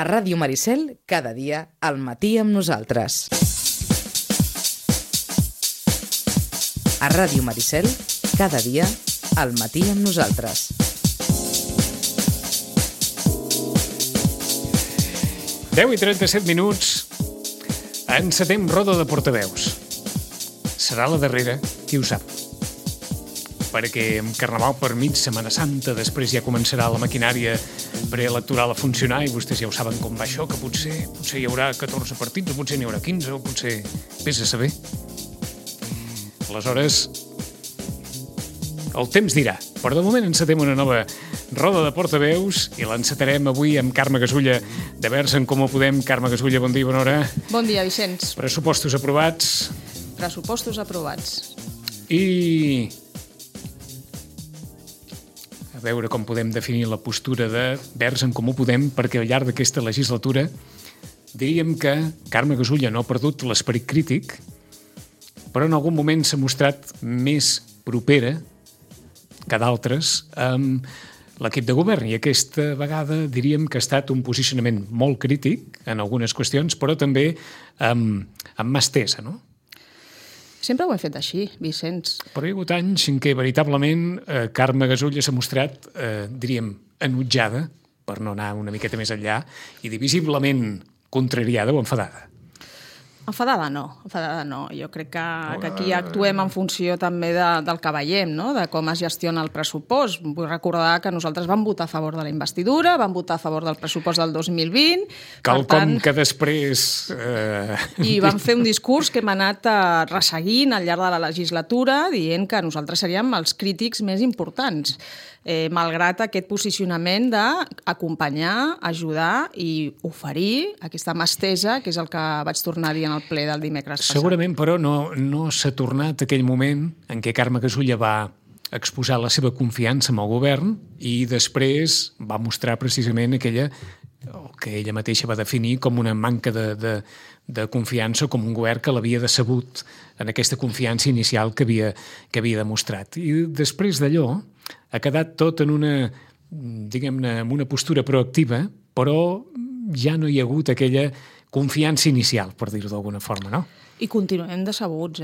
A Ràdio Maricel, cada dia, al matí amb nosaltres. A Ràdio Maricel, cada dia, al matí amb nosaltres. Deu i 37 minuts. Encetem roda de portaveus. Serà la darrera, qui ho sap. Perquè amb Carnaval per mig, Setmana Santa, després ja començarà la maquinària preelectoral a funcionar i vostès ja ho saben com va això, que potser hi haurà 14 partits, o potser n'hi haurà 15, o potser vés a saber. Aleshores, el temps dirà. Però de moment encetem una nova roda de portaveus i l'encetarem avui amb Carme Gasulla de Verds en Comú Podem. Carme Gasulla, bon dia, bona hora. Bon dia, Vicenç. Pressupostos aprovats. Pressupostos aprovats. I a veure com podem definir la postura de Verds en Comú Podem, perquè al llarg d'aquesta legislatura diríem que Carme Gasulla no ha perdut l'esperit crític, però en algun moment s'ha mostrat més propera que d'altres amb l'equip de govern, i aquesta vegada diríem que ha estat un posicionament molt crític en algunes qüestions, però també amb mà estesa, no? Sempre ho hem fet així, Vicenç. Però hi ha hagut anys en què veritablement Carme Gasulla s'ha mostrat, diríem, enutjada, per no anar una miqueta més enllà, i divisiblement contrariada o enfadada. Enfadada no. Jo crec que aquí actuem en funció també del que veiem, no? De com es gestiona el pressupost. Vull recordar que nosaltres vam votar a favor de la investidura, vam votar a favor del pressupost del 2020... Quelcom que després... I vam fer un discurs que hem anat resseguint al llarg de la legislatura dient que nosaltres seríem els crítics més importants, malgrat aquest posicionament d'acompanyar, ajudar i oferir aquesta mà estesa, que és el que vaig tornar a dir en el ple del dimecres passat. Segurament, però, no s'ha tornat aquell moment en què Carme Gasulla va exposar la seva confiança en el govern i després va mostrar precisament aquella que ella mateixa va definir com una manca de confiança, com un govern que l'havia decebut en aquesta confiança inicial que havia demostrat. I després d'allò ha quedat tot en una, diguem-ne, en una postura proactiva, però ja no hi ha hagut aquella confiança inicial, per dir-ho d'alguna forma, no? I continuem decebuts,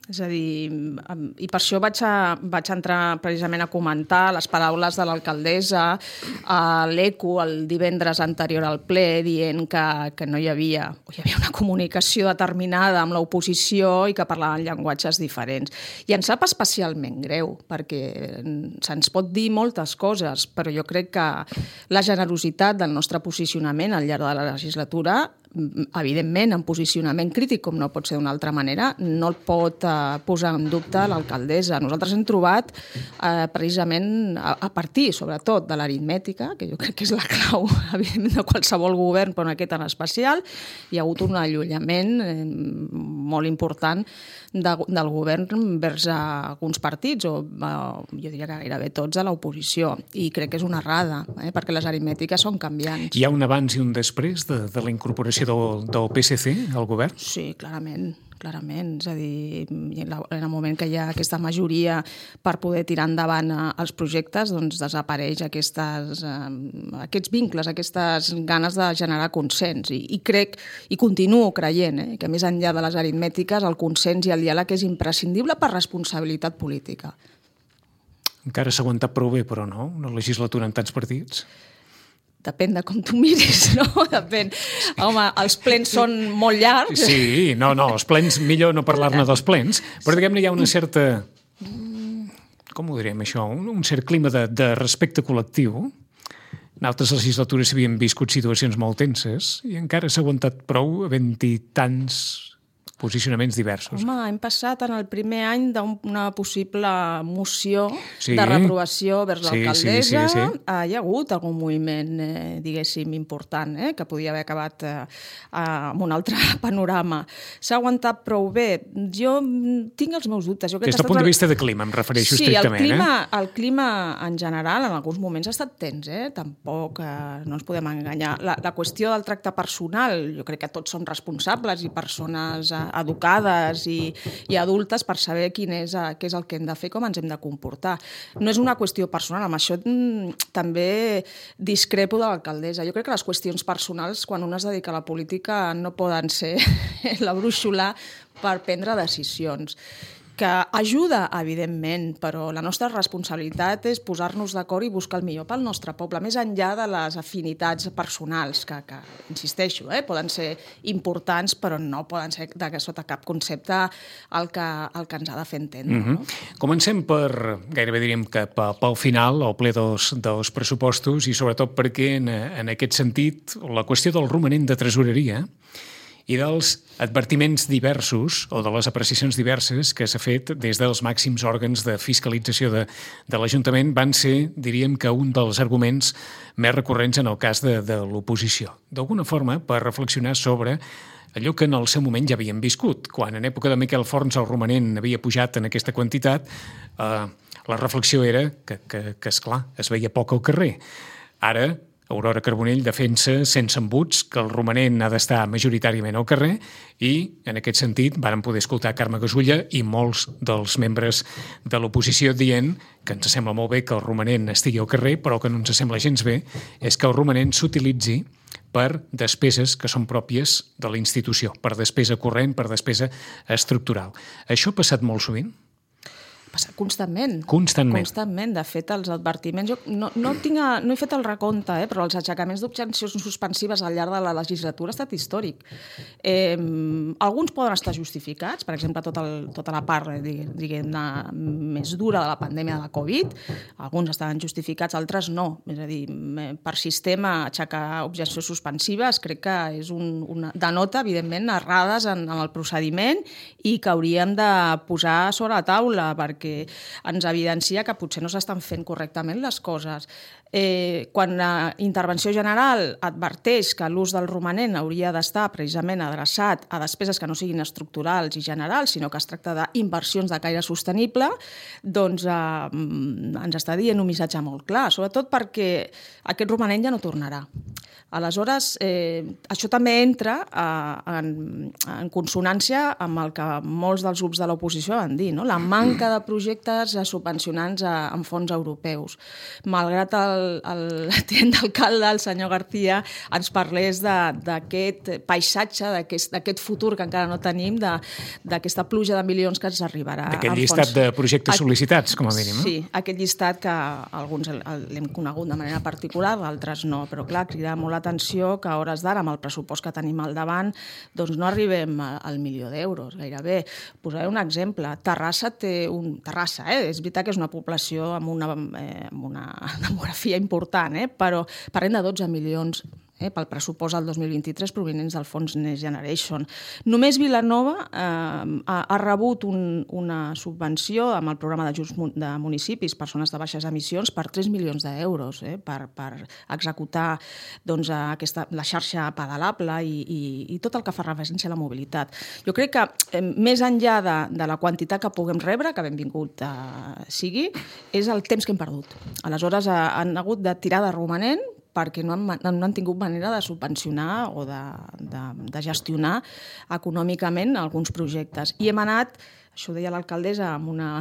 És a dir, i per això vaig entrar precisament a comentar les paraules de l'alcaldessa a l'ECO el divendres anterior al ple, dient que no hi havia una comunicació determinada amb l'oposició i que parlaven llenguatges diferents. I ens sap especialment greu, perquè se'ns pot dir moltes coses, però jo crec que la generositat del nostre posicionament al llarg de la legislatura, evidentment en posicionament crític, com no pot ser d'una altra manera, no el pot posar en dubte l'alcaldessa. Nosaltres hem trobat precisament a partir, sobretot, de l'aritmètica, que jo crec que és la clau, evidentment, de qualsevol govern, però en aquest en especial, hi ha hagut un allunyament molt important del govern vers alguns partits, o jo diria que gairebé tots a l'oposició, i crec que és una errada, perquè les aritmètiques són canviants. Hi ha un abans i un després de la incorporació del PSC al govern? Sí, clarament. És a dir, en el moment que hi ha aquesta majoria per poder tirar endavant els projectes, doncs desapareix aquests vincles, aquestes ganes de generar consens. I crec, i continuo creient, que més enllà de les aritmètiques, el consens i el diàleg és imprescindible per responsabilitat política. Encara s'ha aguantat prou bé, però no? Una legislatura amb tants partits? Depèn de com tu miris, no? Depèn. Home, els plens són molt llargs. Sí, no, els plens, millor no parlar-ne dels plens, però diguem-ne hi ha una certa, com ho diríem això, un cert clima de respecte col·lectiu. En altres legislatures s'havien viscut situacions molt tenses i encara s'ha aguantat prou havent-hi tants posicionaments diversos. Home, hem passat en el primer any d'una possible moció de reprovació vers l'alcaldessa. Sí. Hi ha hagut algun moviment, diguéssim, important, que podia haver acabat amb un altre panorama. S'ha aguantat prou bé. Jo tinc els meus dubtes. Des del punt de vista de clima, em refereixo estrictament. Sí, el clima en general en alguns moments ha estat tens, tampoc no ens podem enganyar. La qüestió del tracte personal, jo crec que tots som responsables i persones educades i adultes per saber què és el que hem de fer, com ens hem de comportar. No és una qüestió personal, amb això també discrepo de l'alcaldessa. Jo crec que les qüestions personals, quan un es dedica a la política, no poden ser la brúixola per prendre decisions. Que ajuda, evidentment, però la nostra responsabilitat és posar-nos d'acord i buscar el millor pel nostre poble, més enllà de les afinitats personals, que insisteixo, poden ser importants, però no poden ser sota cap concepte el que ens ha de fer entendre. No? Comencem gairebé diríem que pel final, el ple dels pressupostos, i sobretot perquè en aquest sentit la qüestió del romanent de tresoreria i dels advertiments diversos o de les apreciacions diverses que s'ha fet des dels màxims òrgans de fiscalització de l'Ajuntament van ser, diríem que un dels arguments més recurrents en el cas de l'oposició. D'alguna forma, per reflexionar sobre allò que en el seu moment ja havíem viscut. Quan en època de Miquel Forns el romanent havia pujat en aquesta quantitat, la reflexió era que esclar, es veia poc al carrer. Ara, Aurora Carbonell defensa sense embuts que el romanent ha d'estar majoritàriament al carrer i, en aquest sentit, vàrem poder escoltar Carme Gasulla i molts dels membres de l'oposició dient que ens sembla molt bé que el romanent estigui al carrer, però que no ens sembla gens bé és que el romanent s'utilitzi per despeses que són pròpies de la institució, per despesa corrent, per despesa estructural. Això ha passat molt sovint? Passa constantment. Constantment. De fet, els advertiments... Jo no he fet el recompte, però els aixecaments d'objeccions suspensives al llarg de la legislatura ha estat històric. Alguns poden estar justificats, per exemple, tota la part, diguem-ne, més dura de la pandèmia de la Covid. Alguns estaven justificats, altres no. És a dir, per sistema, aixecar objeccions suspensives crec que és denota, evidentment, errades en el procediment i que hauríem de posar sobre la taula, perquè ens evidencia que potser no s'estan fent correctament les coses. Quan la intervenció general adverteix que l'ús del romanent hauria d'estar precisament adreçat a despeses que no siguin estructurals i generals, sinó que es tracta d'inversions de caire sostenible, doncs ens està dient un missatge molt clar, sobretot perquè aquest romanent ja no tornarà. Aleshores, això també entra en consonància amb el que molts dels grups de l'oposició van dir, no? La manca de projectes subvencionants amb fons europeus. Malgrat el tinent d'alcalde, el senyor García, ens parlés d'aquest paisatge, d'aquest futur que encara no tenim, d'aquesta pluja de milions que ens arribarà. D'aquest llistat de projectes sol·licitats, com a mínim. Sí, aquest llistat que alguns l'hem conegut de manera particular, d'altres no, però clar, crida molt l'atenció que a hores d'ara, amb el pressupost que tenim al davant, doncs no arribem al milió d'euros, gairebé. Posaré un exemple. Terrassa té Terrassa, és veritat que és una població amb una demografia important, però parlem de 12 milions pel pressupost del 2023 provinents del fons Next Generation. Només Vilanova ha rebut una subvenció amb el programa d'ajuts de municipis per zones de baixes emissions per 3 milions d'euros per executar la xarxa pedalable i tot el que fa referència a la mobilitat. Jo crec que més enllà de la quantitat que puguem rebre, que benvingut sigui, és el temps que hem perdut. Aleshores han hagut de tirar de romanent perquè no han tingut manera de subvencionar o de gestionar econòmicament alguns projectes. I hem anat, això ho deia l'alcaldessa, amb una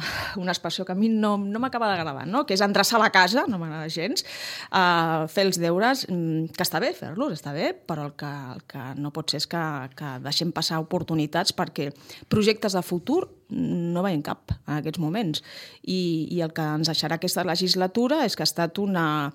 expressió que a mi no m'acaba d'agradar, no? Que és endreçar la casa, no m'agrada gens, fer els deures, que està bé fer-los, està bé, però el que no pot ser és que deixem passar oportunitats perquè projectes de futur no veiem cap en aquests moments. I el que ens deixarà aquesta legislatura és que ha estat una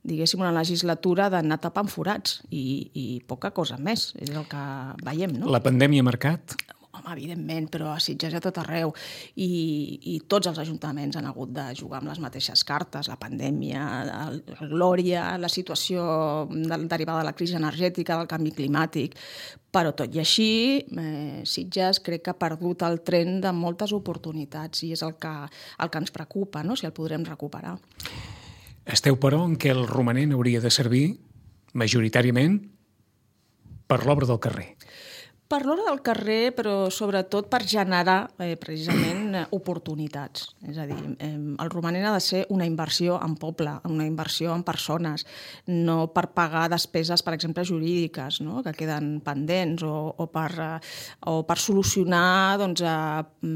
legislatura d'anar tapant forats i poca cosa més, és el que veiem, no? La pandèmia ha marcat? Home, evidentment, però a Sitges a tot arreu. I tots els ajuntaments han hagut de jugar amb les mateixes cartes, la pandèmia, el Glòria, la situació derivada de la crisi energètica, del canvi climàtic. Però tot i així, Sitges crec que ha perdut el tren de moltes oportunitats i és el que ens preocupa, no? Si el podrem recuperar. Esteu, però, en què el romanent hauria de servir majoritàriament per l'obra del carrer? Per l'hora del carrer, però sobretot per generar precisament oportunitats. És a dir, el romanent ha de ser una inversió en poble, una inversió en persones, no per pagar despeses, per exemple, jurídiques, no? Que queden pendents, o per solucionar doncs,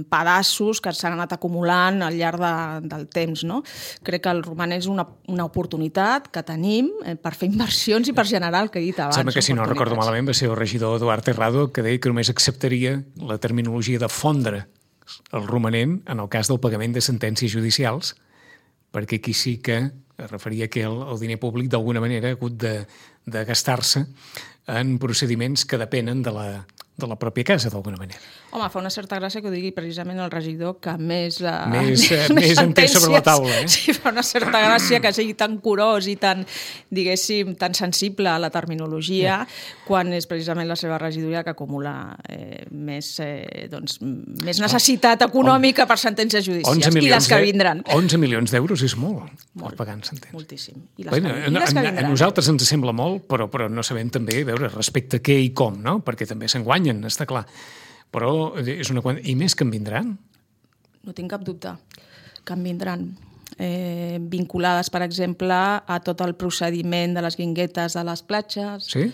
pedaços que s'han anat acumulant al llarg del temps. No? Crec que el romanent és una oportunitat que tenim per fer inversions i per generar el que he dit abans. Sembla que, si no recordo malament, va ser el regidor Eduard Terrado que deia que només acceptaria la terminologia de fondre el romanent en el cas del pagament de sentències judicials, perquè aquí sí que es referia que el diner públic d'alguna manera ha hagut de gastar-se en procediments que depenen de la pròpia casa, d'alguna manera. Home, fa una certa gràcia que ho digui precisament el regidor que més entès sobre la taula. Sí, fa una certa gràcia que sigui tan curós i tan, diguéssim, tan sensible a la terminologia, quan és precisament la seva regidoria que acumula més necessitat econòmica per sentències judicials i les que vindran. 11 milions d'euros és molt pagant sentències. Moltíssim. A nosaltres ens sembla molt, però no sabem també veure respecte a què i com, no? Perquè també se'n guanyen, està clar. Però és una quantitat. I més que en vindran? No tinc cap dubte que en vindran. Vinculades, per exemple, a tot el procediment de les guinguetes de les platges, sí?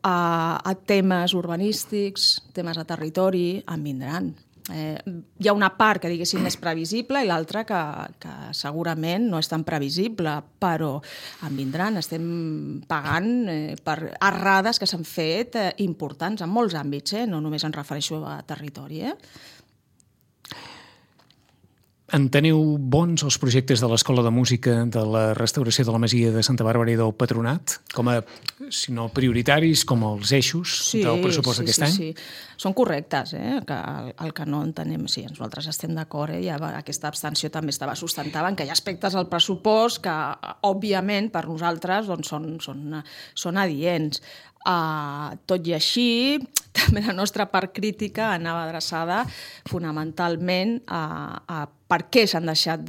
a temes urbanístics, temes de territori, en vindran. Hi ha una part que, diguéssim, és previsible i l'altra que segurament no és tan previsible, però en vindran. Estem pagant per errades que s'han fet importants en molts àmbits, no només em refereixo a territori. Enteneu bons els projectes de l'Escola de Música, de la restauració de la Masia de Santa Bàrbara i del Patronat, com a, si no prioritaris, com els eixos del pressupost d'aquest any? Sí. Són correctes, el que no entenem. Sí, nosaltres estem d'acord, ja aquesta abstenció també estava sustentada en que hi ha aspectes al pressupost que, òbviament, per nosaltres són adients. Tot i així, també la nostra part crítica anava adreçada fonamentalment a per què s'ha deixat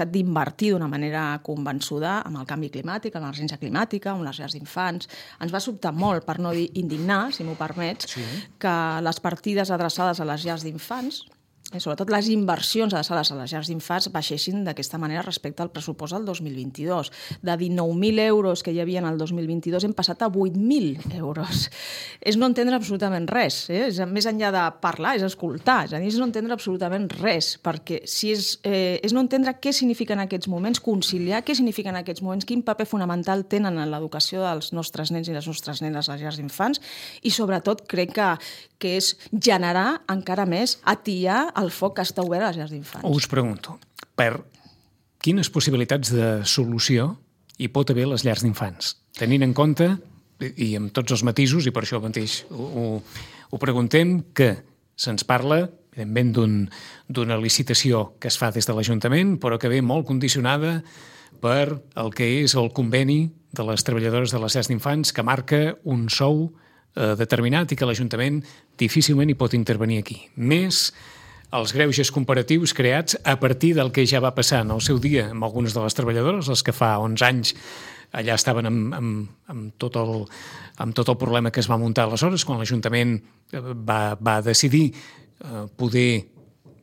d'invertir d'una manera convençuda amb el canvi climàtic, amb l'emergència climàtica, amb les llars d'infants. Ens va sobtar molt, per no dir indignar, si m'ho permets, que les partides adreçades a les llars d'infants, sobretot les inversions adreçades a les llars d'infants, baixessin d'aquesta manera respecte al pressupost del 2022. De 19.000 euros que hi havia en el 2022 hem passat a 8.000 euros. És no entendre absolutament res. Més enllà de parlar, és escoltar. És no entendre absolutament res, perquè si és no entendre què signifiquen aquests moments, conciliar què signifiquen aquests moments, quin paper fonamental tenen en l'educació dels nostres nens i les nostres nenes a les llars d'infants, i sobretot crec que és generar encara més, atiar el foc que està obert a les llars d'infants. Us pregunto, per quines possibilitats de solució hi pot haver les llars d'infants? Tenint en compte, i amb tots els matisos, i per això mateix ho preguntem, que se'ns parla, evidentment, d'una licitació que es fa des de l'Ajuntament, però que ve molt condicionada per el que és el conveni de les treballadores de les llars d'infants, que marca un sou determinat i que l'Ajuntament difícilment hi pot intervenir aquí. Més els greuges comparatius creats a partir del que ja va passar en el seu dia amb algunes de les treballadores, les que fa 11 anys allà estaven amb tot el problema que es va muntar aleshores, quan l'Ajuntament va decidir poder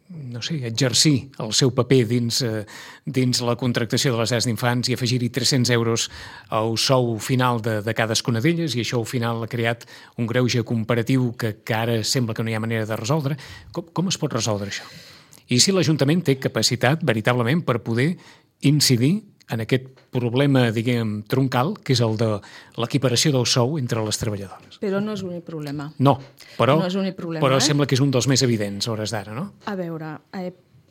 exercir el seu paper dins la contractació de les llars d'infants i afegir-hi 300 euros al sou final de cadascuna d'elles, i això al final ha creat un greuge comparatiu que ara sembla que no hi ha manera de resoldre. Com es pot resoldre això? I si l'Ajuntament té capacitat veritablement per poder incidir en aquest problema, diguem, troncal, que és el de l'equiparació del sou entre les treballadores. Però no és l'únic problema. No, però però sembla que és un dels més evidents a hores d'ara, no? A veure,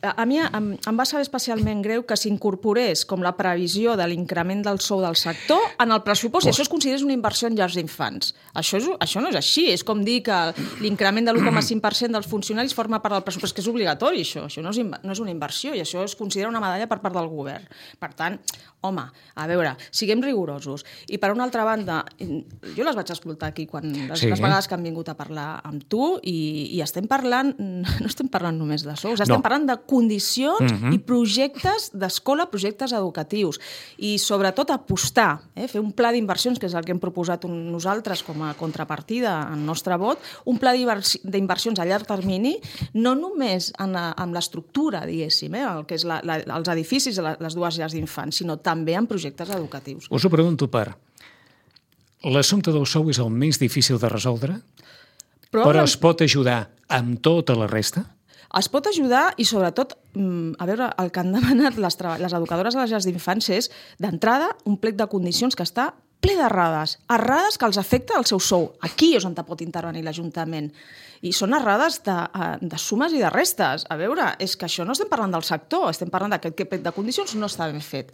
a mi em va saber especialment greu que s'incorporés com la previsió de l'increment del sou del sector en el pressupost, i això es considerés una inversió en llars d'infants. Això no és així, és com dir que l'increment de l'1,5% dels funcionaris forma part del pressupost, que és obligatori, això no és una inversió, i això es considera una medalla per part del govern. Per tant, home, a veure, siguem rigorosos. I per una altra banda, jo les vaig escoltar aquí les vegades que han vingut a parlar amb tu i estem parlant, no estem parlant només de sous, estem parlant de condicions i projectes d'escola, projectes educatius. I sobretot apostar, fer un pla d'inversions, que és el que hem proposat nosaltres com a contrapartida al nostre vot, un pla d'inversions a llarg termini, no només amb l'estructura, diguéssim, el que és els edificis de les dues llars d'infants, sinó també en projectes educatius. Us ho pregunto l'assumpte del sou és el més difícil de resoldre, però es pot ajudar amb tota la resta? Es pot ajudar i, sobretot, a veure, el que han demanat les educadores de les llars d'infants és, d'entrada, un plec de condicions que està ple d'errades que els afecta el seu sou. Aquí és on pot intervenir l'Ajuntament. I són errades de sumes i de restes. A veure, és que això no estem parlant del sector, estem parlant d'aquest plec de condicions no està ben fet.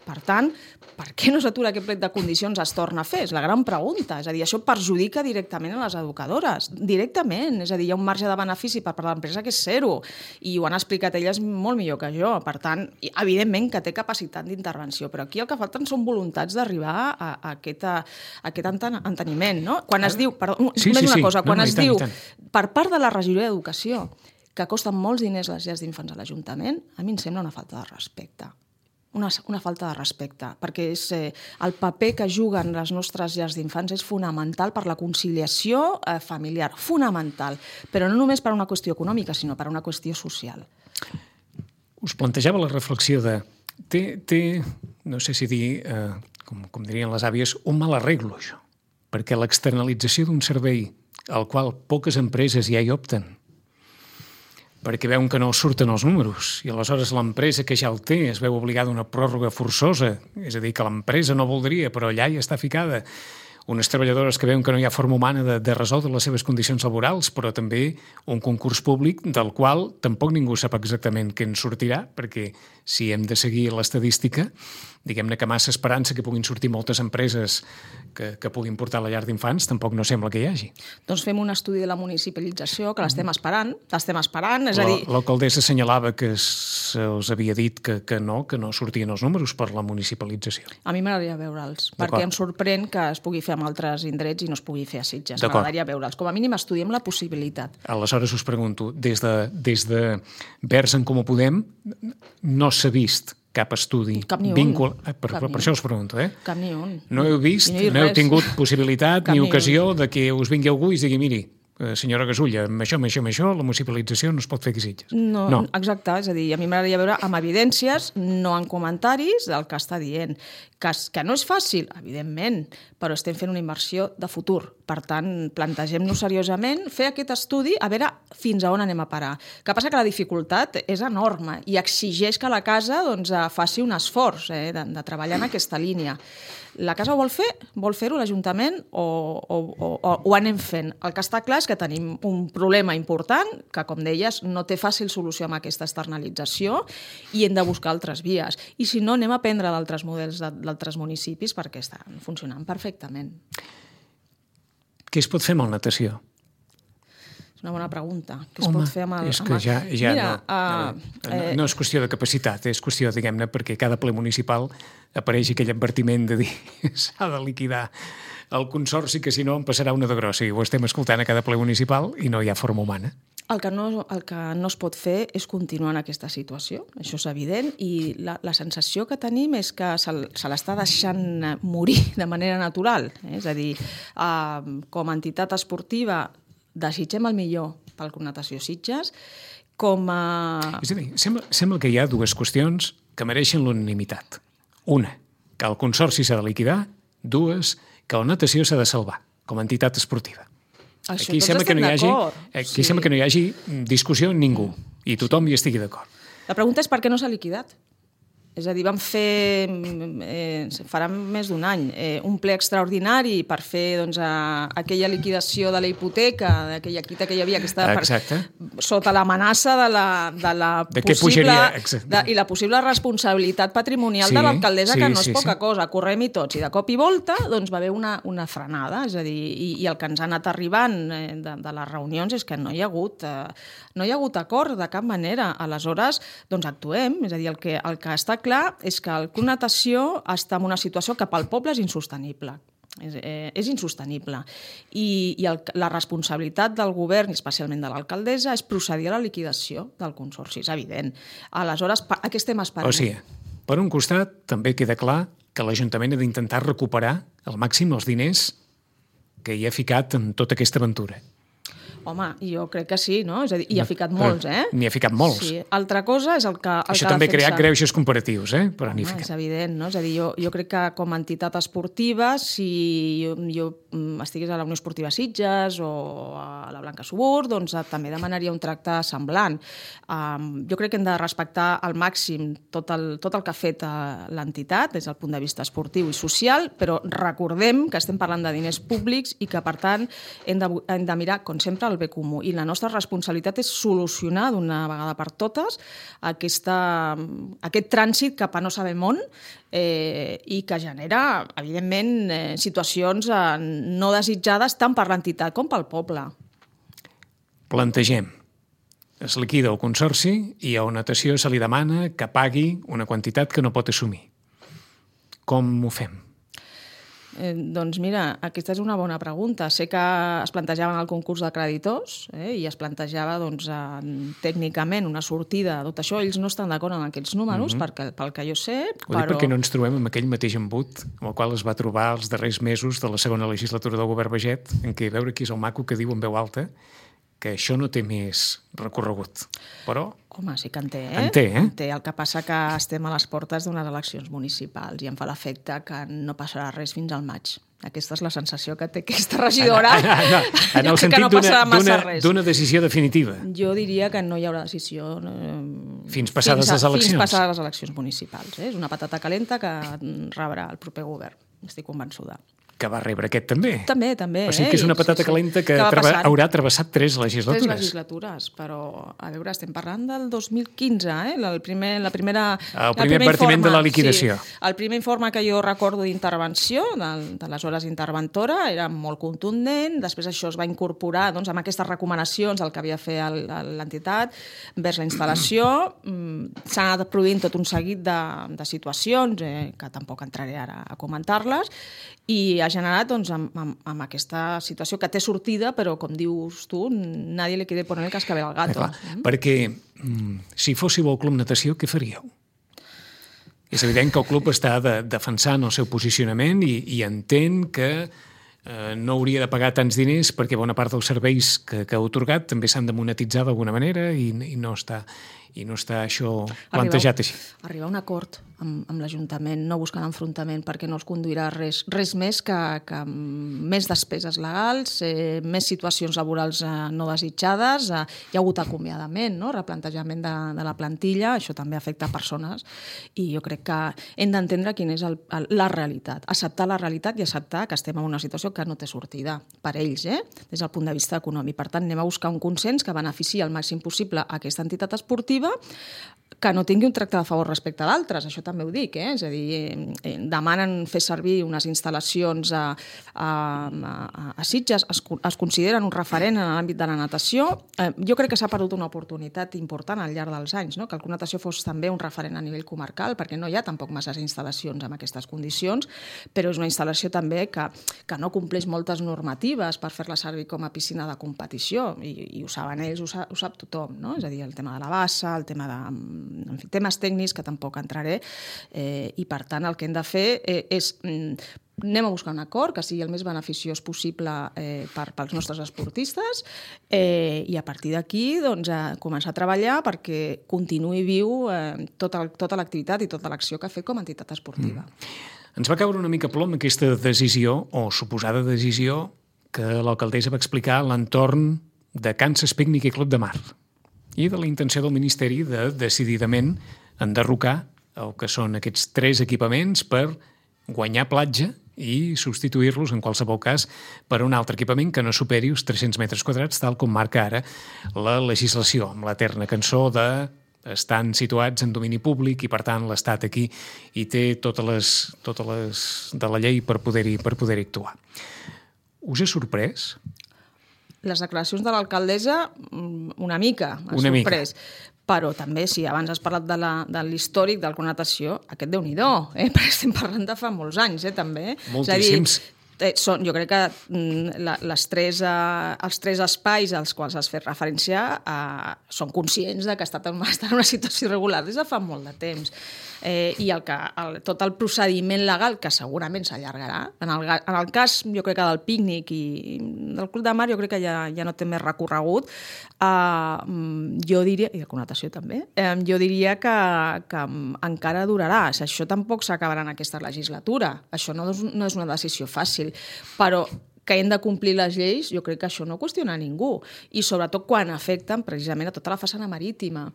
Per tant, per què no s'atura aquest plec de condicions es torna a fer? És la gran pregunta. És a dir, això perjudica directament a les educadores. Directament. És a dir, hi ha un marge de benefici per part de l'empresa que és zero. I ho han explicat elles molt millor que jo. Per tant, evidentment que té capacitat d'intervenció, però aquí el que falten són voluntats d'arribar a aquest enteniment, no? Quan es diu, quan es diu per part de la regidoria d'Educació que costen molts diners les llars d'infants a l'Ajuntament, a mi em sembla una falta de respecte. Una falta de respecte, perquè el paper que juguen les nostres llars d'infants és fonamental per la conciliació familiar, fonamental, però no només per una qüestió econòmica, sinó per una qüestió social. Us plantejava la reflexió de... no sé si dir, com dirien les àvies, un mal arreglo, això, perquè l'externalització d'un servei al qual poques empreses ja hi opten, perquè veuen que no surten els números i aleshores l'empresa que ja el té es veu obligada a una pròrroga forçosa, és a dir, que l'empresa no voldria, però allà hi està ficada. Unes treballadores que veuen que no hi ha forma humana de resoldre les seves condicions laborals, però també un concurs públic del qual tampoc ningú sap exactament què en sortirà, perquè si hem de seguir l'estadística, diguem-ne que massa esperança que puguin sortir moltes empreses que puguin portar la llar d'infants, tampoc no sembla que hi hagi. Doncs fem un estudi de la municipalització, que l'estem esperant, és a dir... L'alcaldessa assenyalava que se'ls havia dit que no sortien els números per la municipalització. A mi m'agradaria veure'ls, perquè em sorprèn que es pugui fer amb altres indrets i no es pugui fer a Sitges. M'agradaria veure'ls. Com a mínim estudiem la possibilitat. Aleshores us pregunto, des de Verds en Comú Podem no s'ha vist cap estudi. Cap ni un. Per això us pregunto, Cap ni un. No heu vist, no heu tingut possibilitat ni ocasió de que us vingui algú i us digui, miri, senyora Gasulla, amb això, la municipalització no es pot fer aquí a Sitges. No, exacte, és a dir, a mi m'agradaria veure amb evidències, no en comentaris del que està dient. Que no és fàcil, evidentment, però estem fent una inversió de futur. Per tant, plantegem-nos seriosament, fer aquest estudi, a veure fins a on anem a parar. El que passa que la dificultat és enorme i exigeix que la casa faci un esforç de treballar en aquesta línia. La casa ho vol fer? Vol fer-ho l'Ajuntament o ho anem fent? El que està clar és que tenim un problema important que, com deies, no té fàcil solució amb aquesta externalització i hem de buscar altres vies. I si no, anem a aprendre d'altres models d'altres municipis perquè estan funcionant perfectament. Què es pot fer amb la natació? És una bona pregunta. Què es pot fer amb el... És que ja no és qüestió de capacitat, és qüestió, diguem-ne, perquè cada ple municipal apareix aquell advertiment de dir s'ha de liquidar el consorci, que si no en passarà una de grossa. I ho estem escoltant a cada ple municipal i no hi ha forma humana. El que no es pot fer és continuar en aquesta situació, això és evident, i la sensació que tenim és que se l'està deixant morir de manera natural. És a dir, com a entitat esportiva desitgem el millor pel Club Natació Sitges, com a... És a dir, sembla que hi ha dues qüestions que mereixen l'unanimitat. Una, que el consorci s'ha de liquidar. Dues, que la natació s'ha de salvar com a entitat esportiva. Aquí sembla que no hi hagi discussió amb ningú i tothom hi estigui d'acord. La pregunta és per què no s'ha liquidat. És a dir, vam fer, farà més d'un any, un ple extraordinari per fer aquella liquidació de la hipoteca, d'aquella quita que hi havia, que estava sota l'amenaça de la possible i la possible responsabilitat patrimonial de l'alcaldessa, que no és poca cosa. Correm-hi tots. I de cop i volta va haver una frenada. És a dir, i el que ens ha anat arribant de les reunions és que no hi ha hagut acord de cap manera. Aleshores, actuem. És a dir, el que està clar és que el Club Natació està en una situació que pel poble és insostenible. És insostenible. I la responsabilitat del govern, i especialment de l'alcaldessa, és procedir a la liquidació del consorci, és evident. Aleshores, a què estem esperant? O sigui, per un costat, també queda clar que l'Ajuntament ha d'intentar recuperar al màxim els diners que hi ha ficat en tota aquesta aventura. Home, jo crec que sí, no? És a dir, hi ha ficat molts, N'hi ha ficat molts. Sí. Altra cosa és el que Això també ha creat greuges comparatius, però n'hi ha ficat. És evident, no? És a dir, jo crec que com a entitat esportiva, si jo estigués a la Unió Esportiva Sitges o a la Blanca Subur, doncs també demanaria un tracte semblant. Jo crec que hem de respectar al màxim tot el que ha fet l'entitat des del punt de vista esportiu i social, però recordem que estem parlant de diners públics i que, per tant, hem de mirar, com sempre, el bé comú. I la nostra responsabilitat és solucionar d'una vegada per totes aquest trànsit cap a no sabem on i que genera, evidentment, situacions no desitjades tant per l'entitat com pel poble. Plantegem. Es liquida el consorci i a Natació se li demana que pagui una quantitat que no pot assumir. Com ho fem? Doncs mira, aquesta és una bona pregunta. Sé que es plantejaven el concurs de creditors i es plantejava tècnicament una sortida. Tot això, ells no estan d'acord amb aquests números, pel que jo sé. Ho dic perquè no ens trobem amb aquell mateix embut amb el qual es va trobar els darrers mesos de la segona legislatura del govern Baget, en què veure qui és el maco que diu en veu alta que això no té més recorregut. Però... Home, sí que en té, En té, En té. El que passa que estem a les portes d'unes eleccions municipals i em fa l'efecte que no passarà res fins al maig. Aquesta és la sensació que té aquesta regidora. En el sentit d'una decisió definitiva. Jo diria que no hi haurà decisió... Fins passades les eleccions. Fins passades les eleccions municipals. És una patata calenta que rebrà el proper govern. Estic convençuda. Que va rebre aquest també. També. O sigui que és una patata calenta que haurà travessat 3 legislatures. 3 legislatures, però, a veure, estem parlant del 2015, El primer advertiment de la liquidació. Sí, el primer informe que jo recordo d'intervenció, d'aleshores interventora, era molt contundent, després això es va incorporar amb aquestes recomanacions del que havia fet l'entitat vers la instal·lació. S'han anat produint tot un seguit de situacions, que tampoc entraré ara a comentar-les, i ha generat amb aquesta situació que té sortida, però com dius tu, nadie le quiere poner el cascabel al gato. Perquè si fóssiu el Club Natació, què faríeu? És evident que el club està defensant el seu posicionament i entén que no hauria de pagar tants diners perquè bona part dels serveis que ha otorgat també s'han de monetitzar d'alguna manera i no està això plantejat així. Arribar a un acord amb l'Ajuntament, no buscant enfrontament, perquè no els conduirà res més que més despeses legals, més situacions laborals no desitjades, hi ha hagut acomiadament, replantejament de la plantilla, això també afecta persones, i jo crec que hem d'entendre quina és la realitat, acceptar la realitat i acceptar que estem en una situació que no té sortida per ells, des del punt de vista econòmic. Per tant, anem a buscar un consens que beneficiï al màxim possible aquesta entitat esportiva, que no tingui un tracte de favor respecte a d'altres, això també ho dic, és a dir, demanen fer servir unes instal·lacions a Sitges, es consideren un referent en l'àmbit de la natació. Jo crec que s'ha perdut una oportunitat important al llarg dels anys, que el Club Natació fos també un referent a nivell comarcal, perquè no hi ha tampoc masses instal·lacions amb aquestes condicions, però és una instal·lació també que no compleix moltes normatives per fer-la servir com a piscina de competició, i ho saben ells, ho sap tothom, és a dir, el tema de la bassa, el tema de temes tècnics que tampoc entraré, i per tant el que hem de fer és anem a buscar un acord que sigui el més beneficiós possible pels nostres esportistes i a partir d'aquí començar a treballar perquè continuï viu tota l'activitat i tota l'acció que ha fet com a entitat esportiva. Ens va caure una mica plom aquesta decisió o suposada decisió que l'alcaldessa va explicar a l'entorn de Kansas Picnic i Club de Mar i de la intenció del Ministeri de decididament enderrocar el que són aquests 3 equipaments per guanyar platja i substituir-los, en qualsevol cas, per un altre equipament que no superi els 300 metres quadrats, tal com marca ara la legislació, amb l'eterna cançó de estan situats en domini públic i, per tant, l'Estat aquí hi té totes les de la llei per poder-hi actuar. Us ha sorprès? les declaracions de l'alcaldessa una mica m'han sorprès. Però també, si abans has parlat de l'històric, de la connotació, aquest Déu-n'hi-do, perquè estem parlant de fa molts anys, també. Moltíssims. Jo crec que els tres espais als quals has fet referència són conscients de que estan en una situació irregular des de fa molt de temps. I tot el procediment legal, que segurament s'allargarà, en el cas, jo crec que del pícnic i del Club de Mar, jo crec que ja no té més recorregut, jo diria, i de connotació també, jo diria que encara durarà. Això tampoc s'acabarà en aquesta legislatura. Això no és una decisió fàcil, però que hem de complir les lleis, jo crec que això no qüestiona ningú. I sobretot quan afecten precisament a tota la façana marítima.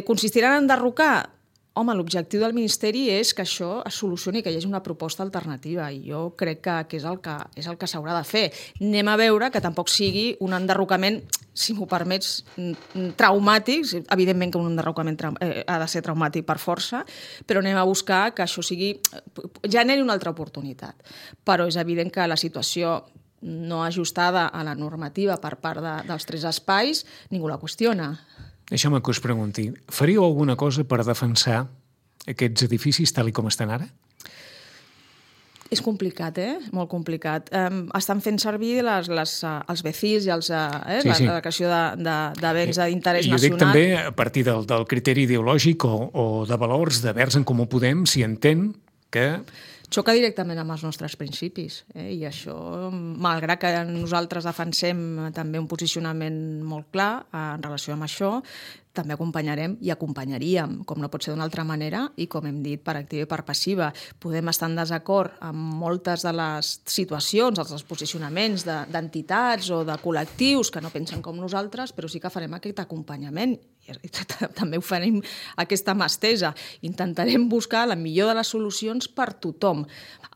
Consistiran en enderrocar? Home, l'objectiu del Ministeri és que això es solucioni, que hi hagi una proposta alternativa, i jo crec que és el que s'haurà de fer. Anem a veure que tampoc sigui un enderrocament, si m'ho permets, traumàtic. Evidentment que un enderrocament ha de ser traumàtic per força, però anem a buscar que això generi una altra oportunitat. Però és evident que la situació no ajustada a la normativa per part dels tres espais, ningú la qüestiona. Deixeu-me que us pregunti, faríeu alguna cosa per defensar aquests edificis tal com estan ara? És complicat, molt complicat. Estan fent servir els BECIS i la declaració de béns d'interès nacional. Jo dic també a partir del criteri ideològic o de valors de Verds en Comú Podem, si entén que xoca directament amb els nostres principis, i això, malgrat que nosaltres defensem també un posicionament molt clar en relació amb això, també acompanyarem i acompanyaríem, com no pot ser d'una altra manera, i com hem dit, per activa i per passiva. Podem estar en desacord amb moltes de les situacions, els posicionaments d'entitats o de col·lectius que no pensen com nosaltres, però sí que farem aquest acompanyament. I també ho farem aquesta mà estesa. Intentarem buscar la millor de les solucions per tothom,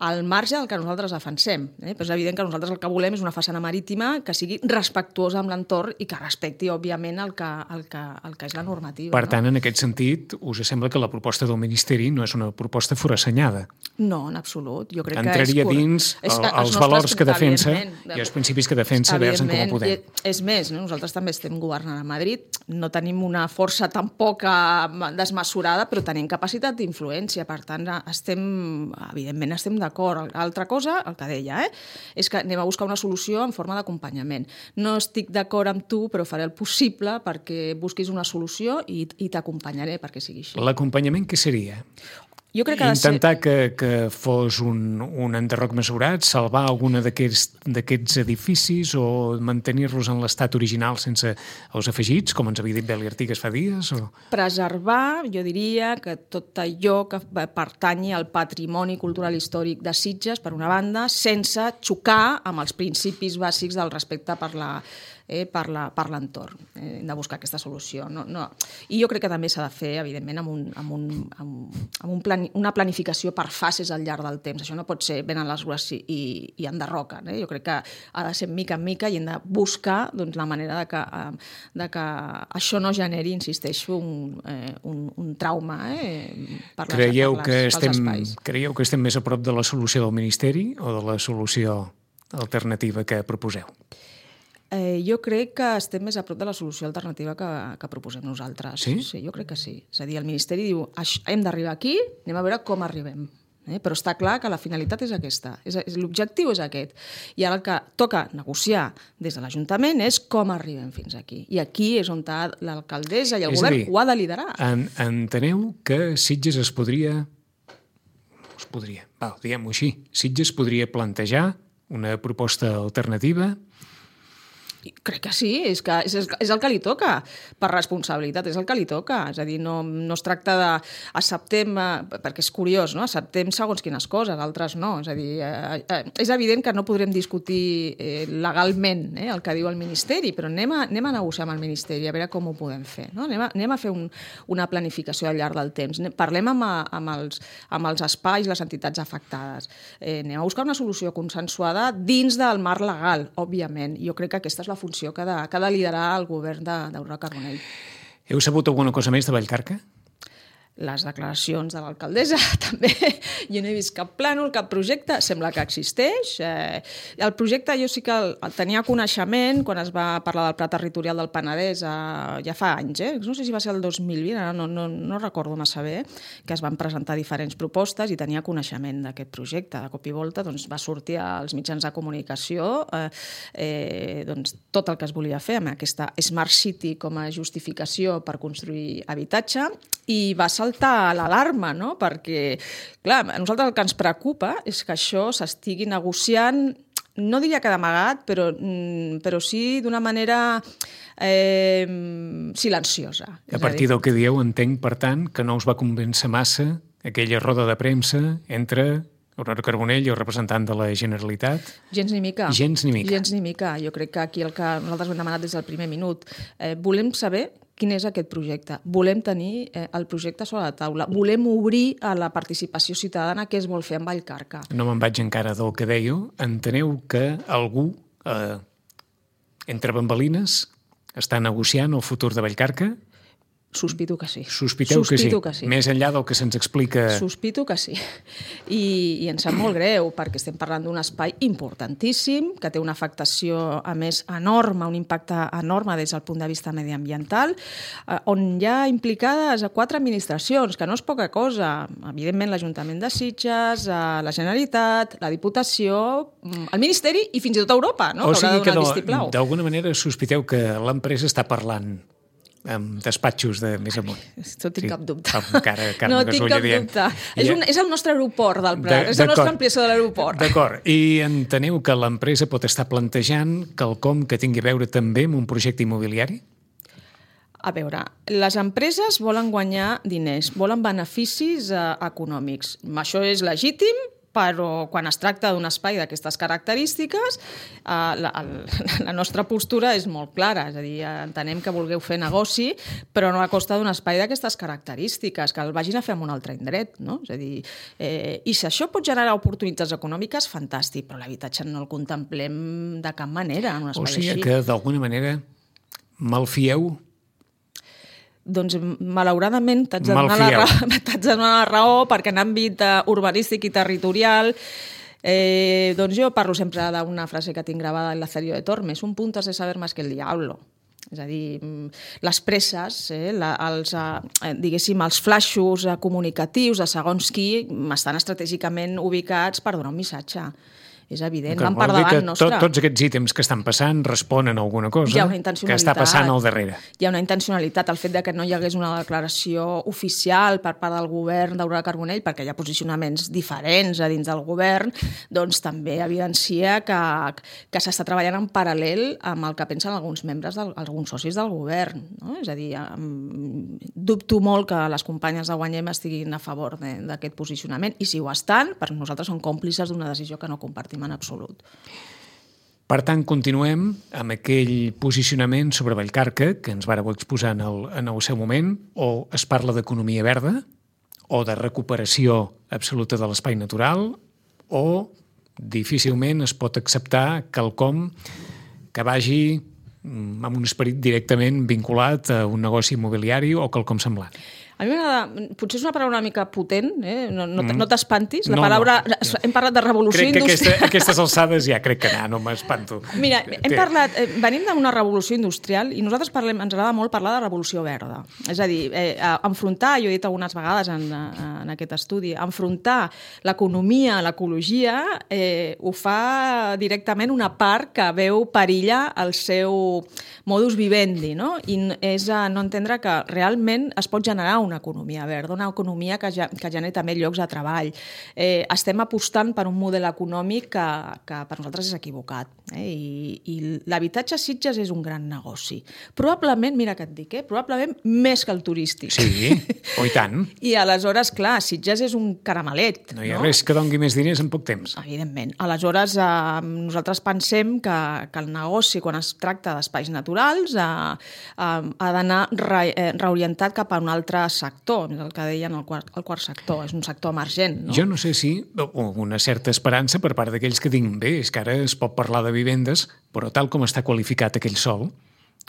al marge del que nosaltres defensem. Però és evident que nosaltres el que volem és una façana marítima que sigui respectuosa amb l'entorn i que respecti, òbviament, el que és la normativa. Per tant, en aquest sentit, us sembla que la proposta del Ministeri no és una proposta forassenyada? No, en absolut. Jo crec entraria dins els valors que defensa i els principis que defensa Verds en Comú Podem. És més, nosaltres també estem governant a Madrid, no tenim una força tampoc desmesurada, però tenim capacitat d'influència. Per tant, evidentment estem d'acord. L'altra cosa, el que deia, és que anem a buscar una solució en forma d'acompanyament. No estic d'acord amb tu, però faré el possible perquè busquis una solució i t'acompanyaré perquè sigui així. L'acompanyament què seria? Jo crec que intentar que fos un enderroc mesurat, salvar alguna d'aquests edificis o mantenir-los en l'estat original sense els afegits, com ens havia dit Beli Artigas fa dies? Preservar, jo diria, que tot allò que pertanyi al patrimoni cultural històric de Sitges, per una banda, sense xocar amb els principis bàsics del respecte per l'entorn. Hem de buscar aquesta solució. I jo crec que també s'ha de fer, evidentment, amb una planificació per fases al llarg del temps. Això no pot ser venen les grues i enderroquen. Jo crec que ha de ser mica en mica i hem de buscar la manera de que això no generi, insisteixo, un trauma per als espais. Creieu que estem més a prop de la solució del Ministeri o de la solució alternativa que proposeu? Jo crec que estem més a prop de la solució alternativa que proposem nosaltres. Sí? Sí, jo crec que sí. És a dir, el Ministeri diu hem d'arribar aquí, anem a veure com arribem. Però està clar que la finalitat és aquesta. L'objectiu és aquest. I ara el que toca negociar des de l'Ajuntament és com arribem fins aquí. I aquí és on l'alcaldessa i el govern ho ha de liderar. Enteneu que Sitges diguem-ho així, Sitges podria plantejar una proposta alternativa? Crec que sí, és el que li toca, per responsabilitat, és el que li toca. És a dir, no es tracta de acceptem, perquè és curiós, no? Acceptem segons quines coses, altres no. És a dir, és evident que no podrem discutir legalment el que diu el Ministeri, però anem a negociar amb el Ministeri, a veure com ho podem fer. No? Anem a fer una planificació al llarg del temps. Parlem amb els espais, les entitats afectades. Anem a buscar una solució consensuada dins del marc legal, òbviament. Jo crec que aquesta és la funció que ha de liderar el govern d'Aurora Carbonell. Heu sabut alguna cosa més de Vallcarca? les declaracions de l'alcaldessa també, jo no he vist cap plànol, cap projecte, sembla que existeix. El projecte jo sí que el tenia coneixement quan es va parlar del Pla Territorial del Penedès ja fa anys, no sé si va ser el 2020, ara no recordo massa bé, que es van presentar diferents propostes i tenia coneixement d'aquest projecte. De cop i volta doncs, va sortir als mitjans de comunicació doncs, tot el que es volia fer amb aquesta Smart City com a justificació per construir habitatge i va saltar l'alarma, no? Perquè, clar, a nosaltres el que ens preocupa és que això s'estigui negociant, no diria que d'amagat, però sí d'una manera silenciosa. A partir del que dieu, entenc, per tant, que no us va convèncer massa aquella roda de premsa entre Aurora Carbonell i el representant de la Generalitat? Gens ni mica. Gens ni mica. Gens ni mica. Jo crec que aquí el que nosaltres hem demanat des del primer minut. Volem saber quin és aquest projecte. Volem tenir el projecte sobre la taula. Volem obrir a la participació ciutadana què es vol fer amb Vallcarca. No me'n vaig encara del que dèieu. Enteneu que algú, entre bambalines, està negociant el futur de Vallcarca? Sospito que sí. Sospiteu que sí. Més enllà del que se'ns explica... Sospito que sí. I ens sap molt greu, perquè estem parlant d'un espai importantíssim, que té una afectació, a més, enorme, un impacte enorme des del punt de vista mediambiental, on hi ha implicades 4 administracions, que no és poca cosa. Evidentment, l'Ajuntament de Sitges, la Generalitat, la Diputació, el Ministeri i fins i tot Europa, no? O sigui que d'alguna manera sospiteu que l'empresa està parlant amb despatxos de més amunt. No tinc cap dubte. No tinc cap dubte. És el nostre aeroport del Prat, és la nostra ampliació de l'aeroport. D'acord. I enteneu que l'empresa pot estar plantejant quelcom que tingui a veure també amb un projecte immobiliari? A veure, les empreses volen guanyar diners, volen beneficis econòmics. Això és legítim, però quan es tracta d'un espai d'aquestes característiques, la nostra postura és molt clara. És a dir, entenem que vulgueu fer negoci, però no a costa d'un espai d'aquestes característiques, que el vagin a fer en un altre indret. No? És a dir, i si això pot generar oportunitats econòmiques, fantàstic, però l'habitatge no el contemplem de cap manera en un espai així. O sigui que, d'alguna manera, malfieu? Doncs, malauradament, t'haig de donar la raó, perquè en àmbit urbanístic i territorial, doncs jo parlo sempre d'una frase que tinc gravada en Lazarillo de Tormes: un punto has de saber más que el diablo. És a dir, les presses, diguéssim, els flaixos comunicatius de segons qui estan estratègicament ubicats per donar un missatge. És evident, van per davant nostre. Tots aquests ítems que estan passant responen a alguna cosa que està passant al darrere. Hi ha una intencionalitat. El fet de que no hi hagués una declaració oficial per part del govern d'Aurora Carbonell, perquè hi ha posicionaments diferents a dins del govern, doncs també evidencia que s'està treballant en paral·lel amb el que pensen alguns membres, alguns socis del govern. No? És a dir, dubto molt que les companyes de Guanyem estiguin a favor d'aquest posicionament, i si ho estan, per nosaltres són còmplices d'una decisió que no compartim en absolut. Per tant, continuem amb aquell posicionament sobre Vallcarca que ens vàreu exposar en el seu moment, o es parla d'economia verda, o de recuperació absoluta de l'espai natural, o difícilment es pot acceptar quelcom que vagi amb un esperit directament vinculat a un negoci immobiliari o quelcom semblant. A mi m'agrada, potser és una paraula una mica potent, no t'espantis, la paraula, hem parlat de revolució industrial. Crec que aquestes alçades ja crec que no m'espanto. Mira, venim d'una revolució industrial i nosaltres ens agrada molt parlar de revolució verda. És a dir, enfrontar, jo he dit algunes vegades en aquest estudi, enfrontar l'economia, l'ecologia, ho fa directament una part que veu perillar el seu modus vivendi, no? I és no entendre que realment es pot generar una economia verda, una economia que genera també llocs de treball. Estem apostant per un model econòmic que per nosaltres és equivocat. I l'habitatge a Sitges és un gran negoci. Probablement, mira què et dic, probablement més que el turístic. Sí, i tant. I aleshores, clar, Sitges és un caramelet. No hi ha res que doni més diners en poc temps. Evidentment. Aleshores, nosaltres pensem que el negoci, quan es tracta d'espais naturals, ha d'anar reorientat cap a un altre sector, el que deien el quart sector, és un sector emergent. No? Jo no sé si una certa esperança per part d'aquells que diuen, bé, és que ara es pot parlar de vivendes, però tal com està qualificat aquell sòl,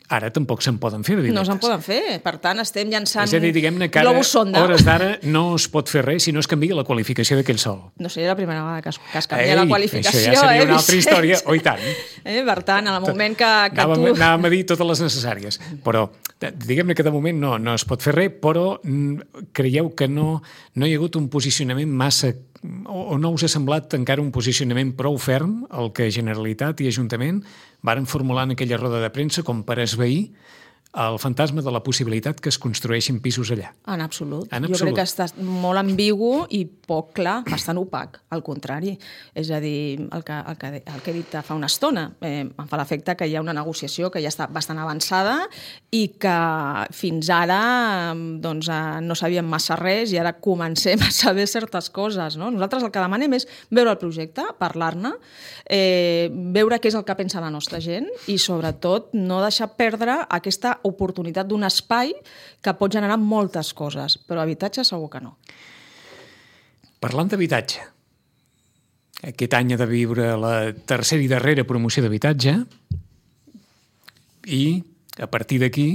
Ara tampoc se'n poden fer de No vinyetes. se'n poden fer. Per tant, estem llançant És a dir, diguem-ne que ara, globus sonda. hores d'ara, no es pot fer res si no es canvia la qualificació d'aquell sòl. No seria la primera vegada que es canvia la qualificació. Això ja seria una altra Vicenç? història, oi tant. Per tant, en el moment que Anàvem a dir totes les necessàries, però diguem-ne que de moment no es pot fer res, però creieu que no hi ha hagut un posicionament massa, o no us ha semblat encara un posicionament prou ferm el que Generalitat i Ajuntament varen formular en aquella roda de premsa com per esvair el fantasma de la possibilitat que es construeixin pisos allà. En absolut. En Jo absolut. crec que està molt ambigu i poc clar, bastant opac, al contrari. És a dir, el que he dit fa una estona, em fa l'efecte que hi ha una negociació que ja està bastant avançada i que fins ara doncs, no sabíem massa res i ara comencem a saber certes coses. No? Nosaltres el que demanem és veure el projecte, parlar-ne, veure què és el que pensa la nostra gent i, sobretot, no deixar perdre aquesta oportunitat d'un espai que pot generar moltes coses, però habitatge segur que no. Parlant d'habitatge, aquest any ha de viure la tercera i darrera promoció d'habitatge i, a partir d'aquí,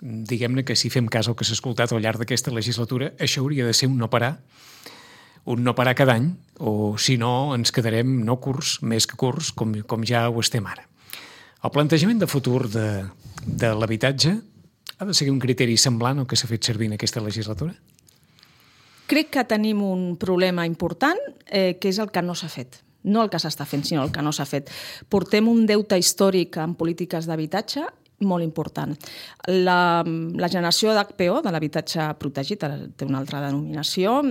diguem-ne que si fem cas al que s'ha escoltat al llarg d'aquesta legislatura, això hauria de ser un no parar cada any, o si no ens quedarem no curts, més que curts, com ja ho estem ara. El plantejament de futur de l'habitatge ha de seguir un criteri semblant al que s'ha fet servir en aquesta legislatura? Crec que tenim un problema important, que és el que no s'ha fet. No el que s'està fent, sinó el que no s'ha fet. Portem un deute històric en polítiques d'habitatge molt important. La generació d'HPO, de l'habitatge protegit, té una altra denominació,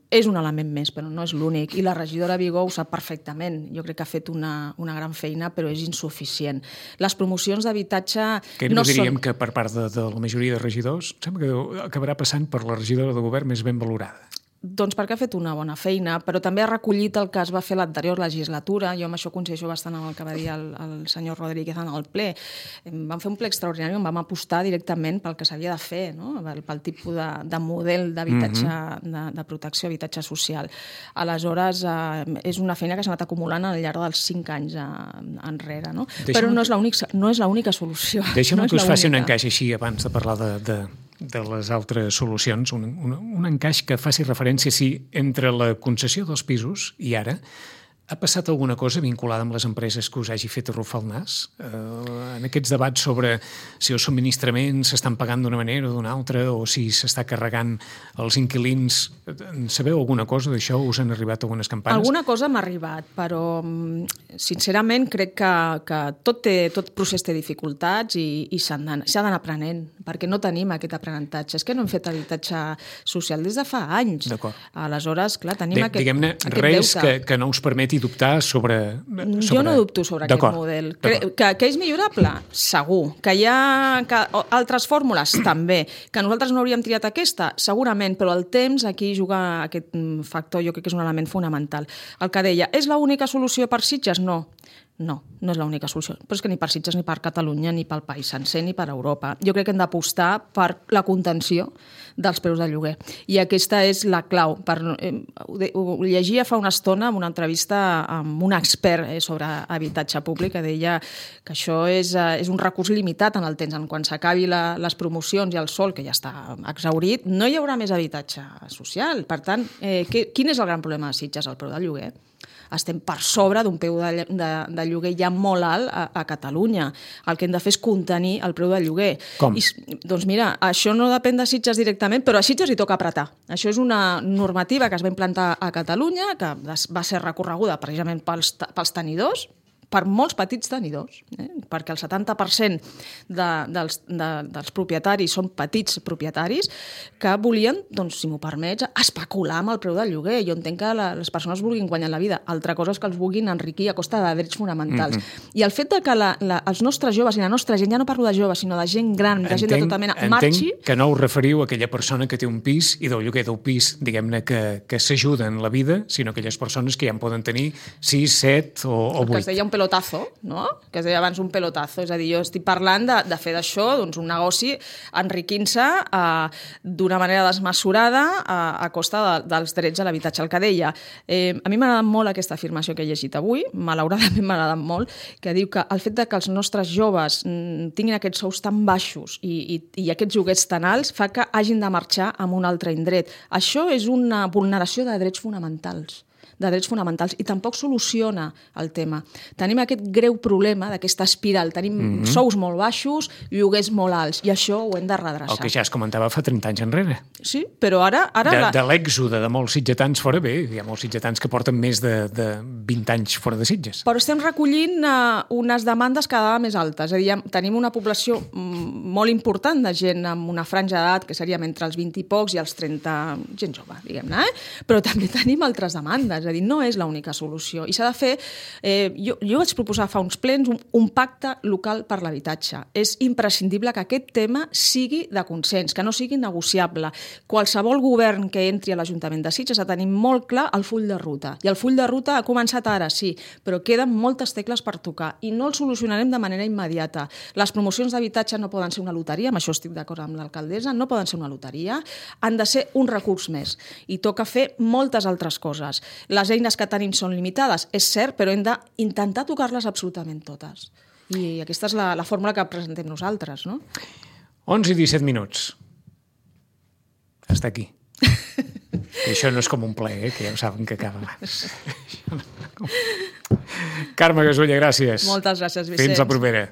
és un element més, però no és l'únic. I la regidora Vigó ho sap perfectament. Jo crec que ha fet una gran feina, però és insuficient. Les promocions d'habitatge... Que no diríem que per part de la majoria de regidors sembla que acabarà passant per la regidora de govern més ben valorada. Doncs perquè ha fet una bona feina, però també ha recollit el que es va fer l'anterior legislatura. Jo amb això coincideixo bastant amb el que va dir el senyor Rodríguez en el ple. Vam fer un ple extraordinari on vam apostar directament pel que s'havia de fer, no? Pel tipus de model d'habitatge, de protecció, habitatge social. Aleshores, és una feina que s'ha anat acumulant al llarg dels 5 anys enrere, no? Però no és l'única solució. Deixa'm que us faci un encaix així abans de parlar de les altres solucions, un encaix que faci referència si entre la concessió dels pisos i ara ha passat alguna cosa vinculada amb les empreses que us hagi fet arrufar el nas? En aquests debats sobre si els subministraments s'estan pagant d'una manera o d'una altra o si s'està carregant els inquilins, sabeu alguna cosa d'això? Us han arribat algunes campanes? Alguna cosa m'ha arribat, però sincerament crec que tot procés té dificultats i s'ha d'anar aprenent, perquè no tenim aquest aprenentatge. És que no hem fet habitatge social des de fa anys. D'acord. Aleshores, clar, tenim aquest deute. Diguem-ne, res que no us permeti dubtar sobre... Jo no dubto sobre aquest model. Que és millorable? Segur. Que hi ha altres fórmules? També. Que nosaltres no hauríem triat aquesta? Segurament, però el temps aquí juga aquest factor, jo crec que és un element fonamental. El que deia, és l'única solució per Sitges? No. No és l'única solució. Però és que ni per Sitges, ni per Catalunya, ni pel país sencer, ni per Europa. Jo crec que hem d'apostar per la contenció dels preus de lloguer. I aquesta és la clau. Ho llegia fa una estona en una entrevista amb un expert sobre habitatge públic que deia que això és un recurs limitat en el temps. Quan s'acabi les promocions i el sol, que ja està exhaurit, no hi haurà més habitatge social. Per tant, quin és el gran problema de Sitges? El preu del lloguer. Estem per sobre d'un preu de lloguer ja molt alt a Catalunya. El que hem de fer és contenir el preu del lloguer. Com? Doncs mira, això no depèn de Sitges directament, però a Sitges li toca apretar. Això és una normativa que es va implantar a Catalunya, que va ser recorreguda precisament pels tenidors, per molts petits tenidors, perquè el 70% dels propietaris són petits propietaris que volien, doncs, si m'ho permets, especular amb el preu del lloguer. Jo entenc que les persones vulguin guanyar la vida. Altra cosa és que els vulguin enriquir a costa de drets fonamentals. I el fet de que els nostres joves i la nostra gent, ja no parlo de joves, sinó de gent gran, de gent de tota mena, marxi... Entenc que no us referiu a aquella persona que té un pis i del lloguer del pis, diguem-ne, que s'ajuda en la vida, sinó aquelles persones que ja en poden tenir 6, 7 o 8. Que es deia un pelotazo, no? Que es deia abans un pelotazo. És a dir, jo estic parlant de fer d'això doncs, un negoci enriquint-se d'una manera desmesurada a costa dels drets a l'habitatge. El que deia, a mi m'ha agradat molt aquesta afirmació que he llegit avui, malauradament m'ha agradat molt, que diu que el fet de que els nostres joves tinguin aquests sous tan baixos i aquests lloguers tan alts fa que hagin de marxar a un altre indret. Això és una vulneració de drets fonamentals i tampoc soluciona el tema. Tenim aquest greu problema d'aquesta espiral. Tenim sous molt baixos, lloguers molt alts, i això ho hem de redreçar. El que ja es comentava fa 30 anys enrere. Sí, però ara... De l'èxode de molts sitgetans fora, bé, hi ha molts sitgetans que porten més de 20 anys fora de Sitges. Però estem recollint unes demandes cada vegada més altes. És a dir, tenim una població molt important de gent amb una franja d'edat que seríem entre els 20 i pocs i els 30, gent jove, diguem-ne, però també tenim altres demandes. És a dir, no és l'única solució. I s'ha de fer... Jo vaig proposar fa uns plens un pacte local per l'habitatge. És imprescindible que aquest tema sigui de consens, que no sigui negociable. Qualsevol govern que entri a l'Ajuntament de Sitges ha de tenir molt clar el full de ruta. I el full de ruta ha començat ara, sí, però queden moltes tecles per tocar i no el solucionarem de manera immediata. Les promocions d'habitatge no poden ser una loteria, amb això estic d'acord amb l'alcaldessa, no poden ser una loteria, han de ser un recurs més. I toca fer moltes altres coses. Les eines que tenim són limitades, és cert, però hem d'intentar tocar-les absolutament totes. I aquesta és la fórmula que presentem nosaltres, no? 11 i 17 minuts. Està aquí. I això no és com un ple, que ja ho saben que acaba abans. Carme Gasulla, gràcies. Moltes gràcies, Vicenç. Fins la propera.